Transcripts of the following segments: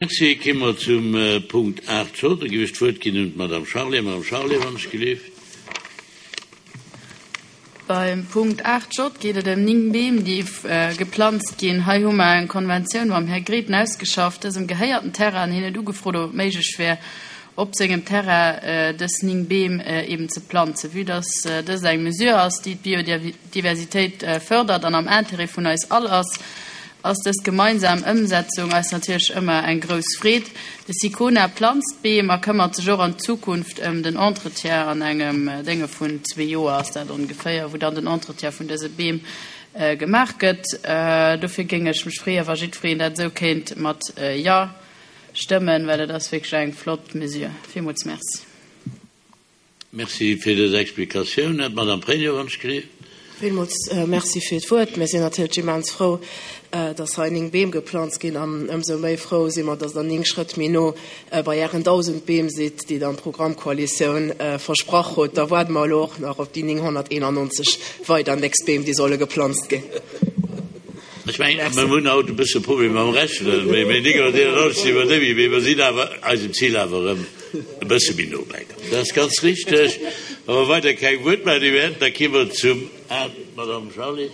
Merci. Kéime mer zum Punkt 8 J. Da géif ech d'Wuert ginn un d'Madame Charlé. Madame Charlé, wann ech gelift. Beim Punkt 8 J geet et ëm 9 Beem, déi geplanzt ginn. Hei hu mer eng Konventioun mam Här Grethen ausgeschafft. Dësem gehéiert den Terrain an hien huet ugefrot, ob et méiglech wär, op sengem Terrain dës 9 Beem eben ze planzen. Vue dass dëst eng Mesure ass, déi d'Biodiversitéit, Diversitéit fërdert an am Intérêt vun eis all ass, ass dës gemeinsam Ëmsetzung eis natierlech ëmmer eng grouss Freed. De SICONA planzt Beem a këmmert sech och an Zukunft ëm den Entretien. An engem Dénge vun zwee Joer ass dat ongeféier, wou dann den Entretien vun dëse Beem gemaach gëtt. Dofir géing ech mech freeën, wa jiddwereen dat esou kéint mat Jo stëmmen, well et ass wierklech eng flott Mesure. Villmools Merci. Merci fir dës Explikatioun. D'Madame Pregno, wann ech gleef. Villmools Merci fir d'Wuert. Mir sinn natierlech immens frou, dass hei 9 Beem geplanzt ginn. An ëmsou méi frou si mer, dass Der 9 Schrëtt méi no bei Ären 1.000 Beem sidd, déi Der am Programmkoalitioun versprach hutt. Da waarde mer elo och nach op déi 991 weider nächst Beem, déi solle geplanzt ginn. Ech mengen, mir hunn haut e bësse Problem mam Rechnen, mee 991 si mer net méi, mee mer sinn awer eisem Zil awer erëm e bësse méi no bäikomm. Dat ass ganz richteg. Wa mer weider keng Wuertmeldung méi hätten, da gi mer zum A, Madame Charlé.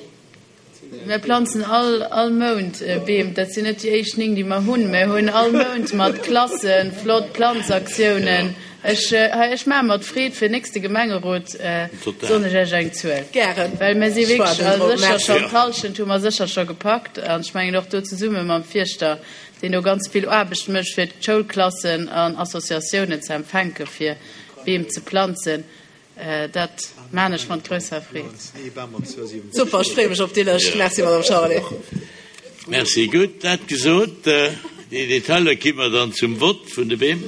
Mir planzen all all Mount Beem. Dat sinn net déi éischt 9, déi mer hunn. Mir hunn all Mount mat Klasse flott Planzaktiounen. Ech, hei, ech maache mat Freed fir nächste Gemengerot soen ech Iech eng Zuel. Gären. Well mir si wierklech sécher schonn, d'Hallschent hu mer sécher scho gepackt. An ech mengen och do zesumme mam Fierschter, deen do ganz vill Aarbecht mécht, fir d'Schoulklassen an Associatiounen ze empfänke fir Beem ze planzen. Dat maan ech mat grousser Freed. Super, ech freeë mech op déi Lëscht. Merci, Madame Charlé. Merci. Gutt, dat gesot, déi Detailer gi mer dann zum Vott vun de Beem.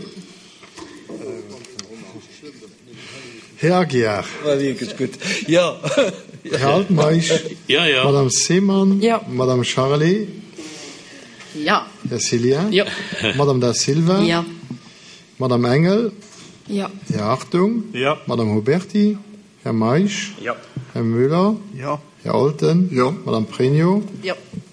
Här Aguiar. Här Altmeisch. Madame Seemann. Madame Charlé. Här Cillien. Madame Da Silva. Madame Engel. Här Hartung. Madame Huberty. Här Meisch. Här Müller. Här Olten. Madame Pregno.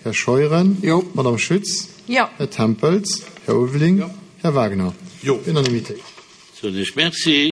Här Scheuren. Madame Schütz. Här Tempels. Här Ulveling. Här Wagner. Unanimitéit. Soen ech Merci.